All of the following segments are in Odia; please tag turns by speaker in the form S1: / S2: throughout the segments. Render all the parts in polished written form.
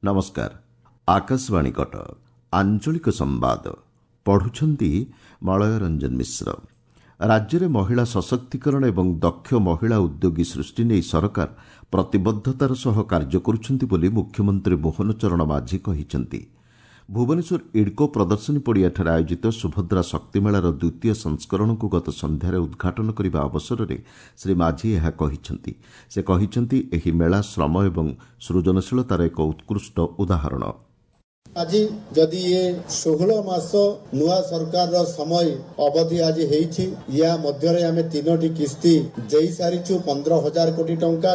S1: ନମସ୍କାର, ଆକାଶବାଣୀ କଟକ। ଆଞ୍ଚଳିକ ସମ୍ବାଦ ପଢୁଛନ୍ତି ମଳୟ ରଞ୍ଜନ ମିଶ୍ର। ରାଜ୍ୟରେ ମହିଳା ସଶକ୍ତିକରଣ ଏବଂ ଦକ୍ଷ ମହିଳା ଉଦ୍ୟୋଗୀ ସୃଷ୍ଟି ନେଇ ସରକାର ପ୍ରତିବଦ୍ଧତାର ସହ କାର୍ଯ୍ୟ କରୁଛନ୍ତି ବୋଲି ମୁଖ୍ୟମନ୍ତ୍ରୀ ମୋହନ ଚରଣ ମାଝୀ କହିଛନ୍ତି। ଭୁବନେଶ୍ୱର ଇଡ୍କୋ ପ୍ରଦର୍ଶନୀ ପଡ଼ିଆଠାରେ ଆୟୋଜିତ ସୁଭଦ୍ରା ଶକ୍ତିମେଳାର ଦ୍ୱିତୀୟ ସଂସ୍କରଣକୁ ଗତ ସନ୍ଧ୍ୟାରେ ଉଦ୍ଘାଟନ କରିବା ଅବସରରେ ଶ୍ରୀ ମାଝୀ ଏହା କହିଛନ୍ତି। ସେ କହିଛନ୍ତି, ଏହି ମେଳା ଶ୍ରମ ଏବଂ ସୃଜନଶୀଳତାର ଏକ ଉତ୍କୃଷ୍ଟ ଉଦାହରଣ।
S2: ଆଜି ଯଦି ଇଏ 16 ମାସ ନୂଆ ସରକାରର ସମୟ ଅବଧି ଆଜି ହେଇଛି, ୟା ମଧ୍ୟରେ ଆମେ 3ଟି କିସ୍ତି ଦେଇ ସାରିଛୁ 15,000 କୋଟି ଟଙ୍କା।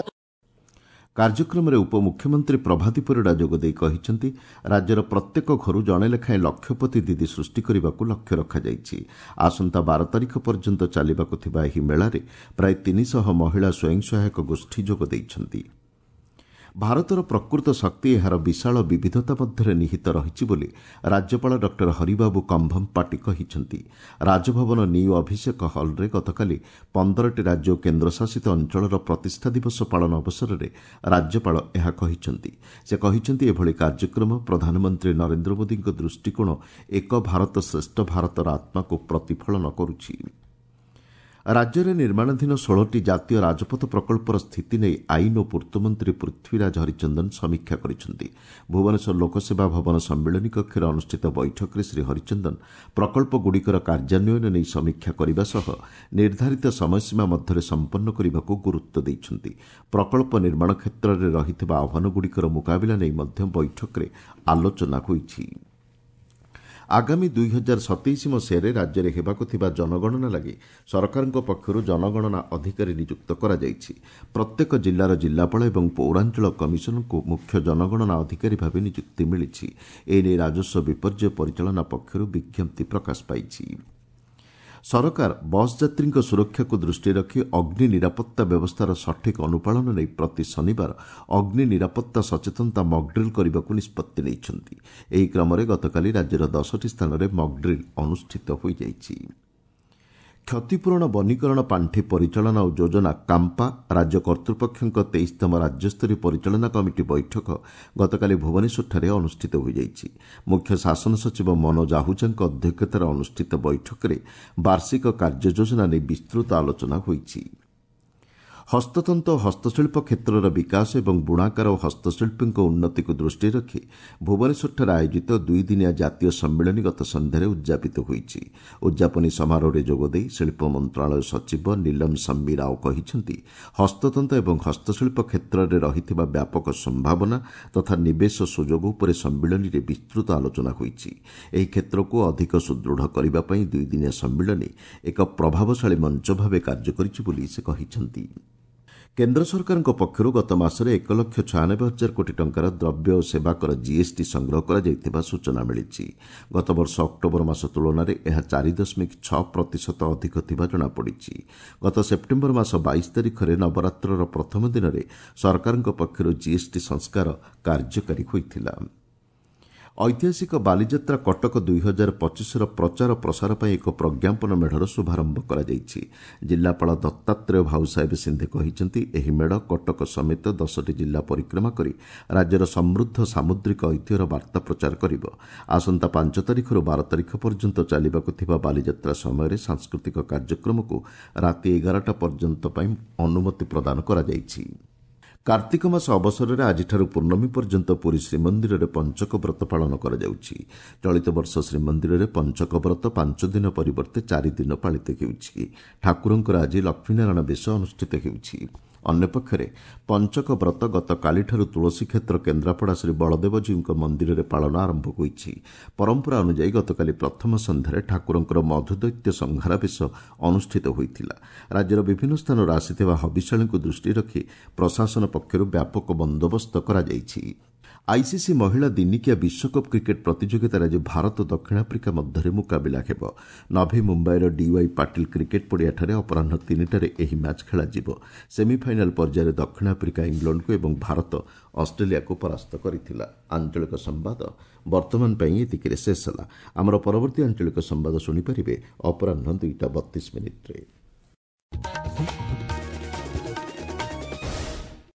S1: କାର୍ଯ୍ୟକ୍ରମରେ ଉପମୁଖ୍ୟମନ୍ତ୍ରୀ ପ୍ରଭାତୀ ପରିଡ଼ା ଯୋଗଦେଇ କହିଛନ୍ତି, ରାଜ୍ୟର ପ୍ରତ୍ୟେକ ଘରୁ ଜଣେ ଲେଖାଏଁ ଲକ୍ଷପତି ଦିଦି ସୃଷ୍ଟି କରିବାକୁ ଲକ୍ଷ୍ୟ ରଖାଯାଇଛି। ଆସନ୍ତା 12 ତାରିଖ ପର୍ଯ୍ୟନ୍ତ ଚାଲିବାକୁ ଥିବା ଏହି ମେଳାରେ ପ୍ରାୟ 300 ମହିଳା ସ୍ୱୟଂ ସହାୟକ ଗୋଷ୍ଠୀ ଯୋଗ ଦେଇଛନ୍ତି। ଭାରତର ପ୍ରକୃତ ଶକ୍ତି ଏହାର ବିଶାଳ ବିବିଧତା ମଧ୍ୟରେ ନିହିତ ରହିଛି ବୋଲି ରାଜ୍ୟପାଳ ଡକ୍ଟର ହରିବାବୁ କମ୍ଭମପାଟି କହିଛନ୍ତି। ରାଜଭବନ ନ୍ୟୁ ଅଭିଷେକ ହଲ୍ରେ ଗତକାଲି 15ଟି ରାଜ୍ୟ ଓ କେନ୍ଦ୍ରଶାସିତ ଅଞ୍ଚଳର ପ୍ରତିଷ୍ଠା ଦିବସ ପାଳନ ଅବସରରେ ରାଜ୍ୟପାଳ ଏହା କହିଛନ୍ତି। ସେ କହିଛନ୍ତି, ଏଭଳି କାର୍ଯ୍ୟକ୍ରମ ପ୍ରଧାନମନ୍ତ୍ରୀ ନରେନ୍ଦ୍ର ମୋଦିଙ୍କ ଦୃଷ୍ଟିକୋଣ ଏକ ଭାରତ ଶ୍ରେଷ୍ଠ ଭାରତର ଆତ୍ମାକୁ ପ୍ରତିଫଳନ କରୁଛି। ରାଜ୍ୟରେ ନିର୍ମାଣାଧୀନ 16ଟି ଜାତୀୟ ରାଜପଥ ପ୍ରକଳ୍ପର ସ୍ଥିତି ନେଇ ଆଇନ ଓ ପୂର୍ତ୍ତମନ୍ତ୍ରୀ ପୃଥ୍ୱୀରାଜ ହରିଚନ୍ଦନ ସମୀକ୍ଷା କରିଛନ୍ତି। ଭୁବନେଶ୍ୱର ଲୋକସେବା ଭବନ ସମ୍ମିଳନୀ କକ୍ଷରେ ଅନୁଷ୍ଠିତ ବୈଠକରେ ଶ୍ରୀ ହରିଚନ୍ଦନ ପ୍ରକଳ୍ପଗୁଡ଼ିକର କାର୍ଯ୍ୟାନ୍ୱୟନ ନେଇ ସମୀକ୍ଷା କରିବା ସହ ନିର୍ଦ୍ଧାରିତ ସମୟସୀମା ମଧ୍ୟରେ ସମ୍ପନ୍ନ କରିବାକୁ ଗୁରୁତ୍ୱ ଦେଇଛନ୍ତି। ପ୍ରକଳ୍ପ ନିର୍ମାଣ କ୍ଷେତ୍ରରେ ରହିଥିବା ଆହ୍ୱାନଗୁଡ଼ିକର ମୁକାବିଲା ନେଇ ମଧ୍ୟ ବୈଠକରେ ଆଲୋଚନା ହୋଇଛି। ଆଗାମୀ 2027 ମସିହାରେ ରାଜ୍ୟରେ ହେବାକୁ ଥିବା ଜନଗଣନା ଲାଗି ସରକାରଙ୍କ ପକ୍ଷରୁ ଜନଗଣନା ଅଧିକାରୀ ନିଯୁକ୍ତ କରାଯାଇଛି। ପ୍ରତ୍ୟେକ ଜିଲ୍ଲାର ଜିଲ୍ଲାପାଳ ଏବଂ ପୌରାଞ୍ଚଳ କମିଶନଙ୍କୁ ମୁଖ୍ୟ ଜନଗଣନା ଅଧିକାରୀ ଭାବେ ନିଯୁକ୍ତି ମିଳିଛି। ଏନେଇ ରାଜସ୍ୱ ବିପର୍ଯ୍ୟୟ ପରିଚାଳନା ପକ୍ଷରୁ ବିଜ୍ଞପ୍ତି ପ୍ରକାଶ ପାଇଛି। ସରକାର ବସ୍ ଯାତ୍ରୀଙ୍କ ସୁରକ୍ଷାକୁ ଦୃଷ୍ଟିରେ ରଖି ଅଗ୍ନି ନିରାପତ୍ତା ବ୍ୟବସ୍ଥାର ସଠିକ୍ ଅନୁପାଳନ ନେଇ ପ୍ରତି ଶନିବାର ଅଗ୍ନି ନିରାପତ୍ତା ସଚେତନତା ମକ୍ଡ୍ରିଲ୍ କରିବାକୁ ନିଷ୍ପତ୍ତି ନେଇଛନ୍ତି। ଏହି କ୍ରମରେ ଗତକାଲି ରାଜ୍ୟର 10ଟି ସ୍ଥାନରେ ମକ୍ଡ୍ରିଲ୍ ଅନୁଷ୍ଠିତ ହୋଇଯାଇଛି। କ୍ଷତିପୂରଣ ବନୀକରଣ ପାଣ୍ଠି ପରିଚାଳନା ଓ ଯୋଜନା କାମ୍ପା ରାଜ୍ୟ କର୍ତ୍ତୃପକ୍ଷଙ୍କ 23ତମ ରାଜ୍ୟସ୍ତରୀୟ ପରିଚାଳନା କମିଟି ବୈଠକ ଗତକାଲି ଭୁବନେଶ୍ୱରଠାରେ ଅନୁଷ୍ଠିତ ହୋଇଯାଇଛି। ମୁଖ୍ୟ ଶାସନ ସଚିବ ମନୋଜ ଆହୁଜାଙ୍କ ଅଧ୍ୟକ୍ଷତାରେ ଅନୁଷ୍ଠିତ ବୈଠକରେ ବାର୍ଷିକ କାର୍ଯ୍ୟ ଯୋଜନା ନେଇ ବିସ୍ତୃତ ଆଲୋଚନା ହୋଇଛି। ହସ୍ତତନ୍ତ ଓ ହସ୍ତଶିଳ୍ପ କ୍ଷେତ୍ରର ବିକାଶ ଏବଂ ବୁଣାକାର ଓ ହସ୍ତଶିଳ୍ପୀଙ୍କ ଉନ୍ନତିକୁ ଦୃଷ୍ଟିରେ ରଖି ଭୁବନେଶ୍ୱରଠାରେ ଆୟୋଜିତ 2 ଦିନିଆ ଜାତୀୟ ସମ୍ମିଳନୀ ଗତ ସନ୍ଧ୍ୟାରେ ଉଦ୍ଯାପିତ ହୋଇଛି। ଉଦ୍ଯାପନୀ ସମାରୋହରେ ଯୋଗଦେଇ ଶିଳ୍ପ ମନ୍ତ୍ରଣାଳୟ ସଚିବ ନୀଲମ ସମ୍ମି ରାଓ କହିଛନ୍ତି, ହସ୍ତତନ୍ତ ଏବଂ ହସ୍ତଶିଳ୍ପ କ୍ଷେତ୍ରରେ ରହିଥିବା ବ୍ୟାପକ ସମ୍ଭାବନା ତଥା ନିବେଶ ସୁଯୋଗ ଉପରେ ସମ୍ମିଳନୀରେ ବିସ୍ତୃତ ଆଲୋଚନା ହୋଇଛି। ଏହି କ୍ଷେତ୍ରକୁ ଅଧିକ ସୁଦୃଢ଼ କରିବା ପାଇଁ 2 ଦିନିଆ ସମ୍ମିଳନୀ ଏକ ପ୍ରଭାବଶାଳୀ ମଞ୍ଚ ଭାବେ କାର୍ଯ୍ୟ କରିଛି ବୋଲି ସେ କହିଛନ୍ତି। କେନ୍ଦ୍ର ସରକାରଙ୍କ ପକ୍ଷରୁ ଗତ ମାସରେ 1,96,000 କୋଟି ଟଙ୍କାର ଦ୍ରବ୍ୟ ଓ ସେବା କର ଜିଏସ୍ଟି ସଂଗ୍ରହ କରାଯାଇଥିବା ସୂଚନା ମିଳିଛି। ଗତବର୍ଷ ଅକ୍ଟୋବର ମାସ ତୁଳନାରେ ଏହା 4.6% ଅଧିକ ଥିବା ଜଣାପଡ଼ିଛି। ଗତ ସେପ୍ଟେମ୍ବର ମାସ 22 ତାରିଖରେ ନବରାତ୍ରର ପ୍ରଥମ ଦିନରେ ସରକାରଙ୍କ ପକ୍ଷରୁ ଜିଏସ୍ଟି ସଂସ୍କାର କାର୍ଯ୍ୟକାରୀ ହୋଇଥିଲା। ଐତିହାସିକ ବାଲିଯାତ୍ରା କଟକ 2025ର ପ୍ରଚାର ପ୍ରସାର ପାଇଁ ଏକ ପ୍ରଜ୍ଞାପନ ମେଢ଼ର ଶୁଭାରମ୍ଭ କରାଯାଇଛି। ଜିଲ୍ଲାପାଳ ଦତ୍ତାତ୍ରେୟ ଭାଉସାହେବ ସିନ୍ଧେ କହିଛନ୍ତି, ଏହି ମେଢ଼ କଟକ ସମେତ 10ଟି ଜିଲ୍ଲା ପରିକ୍ରମା କରି ରାଜ୍ୟର ସମୃଦ୍ଧ ସାମୁଦ୍ରିକ ଐତିହ୍ୟର ବାର୍ତ୍ତା ପ୍ରଚାର କରିବ। ଆସନ୍ତା 5 ତାରିଖରୁ 12 ତାରିଖ ପର୍ଯ୍ୟନ୍ତ ଚାଲିବାକୁ ଥିବା ବାଲିଯାତ୍ରା ସମୟରେ ସାଂସ୍କୃତିକ କାର୍ଯ୍ୟକ୍ରମକୁ ରାତି 11ଟା ପର୍ଯ୍ୟନ୍ତ ପାଇଁ ଅନୁମତି ପ୍ରଦାନ କରାଯାଇଛି। କାର୍ତ୍ତିକ ମାସ ଅବସରରେ ଆଜିଠାରୁ ପୂର୍ଣ୍ଣମୀ ପର୍ଯ୍ୟନ୍ତ ପୁରୀ ଶ୍ରୀମନ୍ଦିରରେ ପଞ୍ଚକ ବ୍ରତ ପାଳନ କରାଯାଉଛି। ଚଳିତ ବର୍ଷ ଶ୍ରୀମନ୍ଦିରରେ ପଞ୍ଚକ ବ୍ରତ 5 ଦିନ ପରିବର୍ତ୍ତେ 4 ଦିନ ପାଳିତ ହେଉଛି। ଠାକୁରଙ୍କର ଆଜି ଲକ୍ଷ୍ମୀନାରାୟଣ ବେଶ ଅନୁଷ୍ଠିତ ହେଉଛି। ଅନ୍ୟପକ୍ଷରେ ପଞ୍ଚକ ବ୍ରତ ଗତକାଲିଠାରୁ ତୁଳସୀକ୍ଷେତ୍ର କେନ୍ଦ୍ରାପଡ଼ା ଶ୍ରୀ ବଳଦେବଜୀଉଙ୍କ ମନ୍ଦିରରେ ପାଳନ ଆରମ୍ଭ ହୋଇଛି। ପରମ୍ପରା ଅନୁଯାୟୀ ଗତକାଲି ପ୍ରଥମ ସନ୍ଧ୍ୟାରେ ଠାକୁରଙ୍କର ମଧୁଦୈତ୍ୟ ସଂହାର ବେଶ ଅନୁଷ୍ଠିତ ହୋଇଥିଲା। ରାଜ୍ୟର ବିଭିନ୍ନ ସ୍ଥାନରୁ ଆସିଥିବା ହବିଷ୍ୟାଳୀଙ୍କୁ ଦୃଷ୍ଟିରେ ରଖି ପ୍ରଶାସନ ପକ୍ଷରୁ ବ୍ୟାପକ ବନ୍ଦୋବସ୍ତ କରାଯାଇଛି। ଆଇସିସି ମହିଳା ଦିନିକିଆ ବିଶ୍ୱକପ୍ କ୍ରିକେଟ୍ ପ୍ରତିଯୋଗିତାରେ ଆଜି ଭାରତ ଦକ୍ଷିଣ ଆଫ୍ରିକା ମଧ୍ୟରେ ମୁକାବିଲା ହେବ। ନଭି ମୁମ୍ବାଇର ଡିୱାଇ ପାଟିଲ କ୍ରିକେଟ୍ ପଡ଼ିଆଠାରେ ଅପରାହ୍ନ 3ଟାରେ ଏହି ମ୍ୟାଚ୍ ଖେଳାଯିବ। ସେମିଫାଇନାଲ୍ ପର୍ଯ୍ୟାୟରେ ଦକ୍ଷିଣ ଆଫ୍ରିକା ଇଂଲଣ୍ଡକୁ ଏବଂ ଭାରତ ଅଷ୍ଟ୍ରେଲିଆକୁ ପରାସ୍ତ କରିଥିଲା। ଆଞ୍ଚଳିକ ସମ୍ବାଦ ବର୍ତ୍ତମାନ ପାଇଁ ଏତିକିରେ ଶେଷ ହେଲା। ଆମର ପରବର୍ତ୍ତୀ ଆଞ୍ଚଳିକ ସମ୍ବାଦ ଶୁଣିପାରିବେ ଅପରାହ୍ନ 2ଟା 32 ମିନିଟ୍ରେ।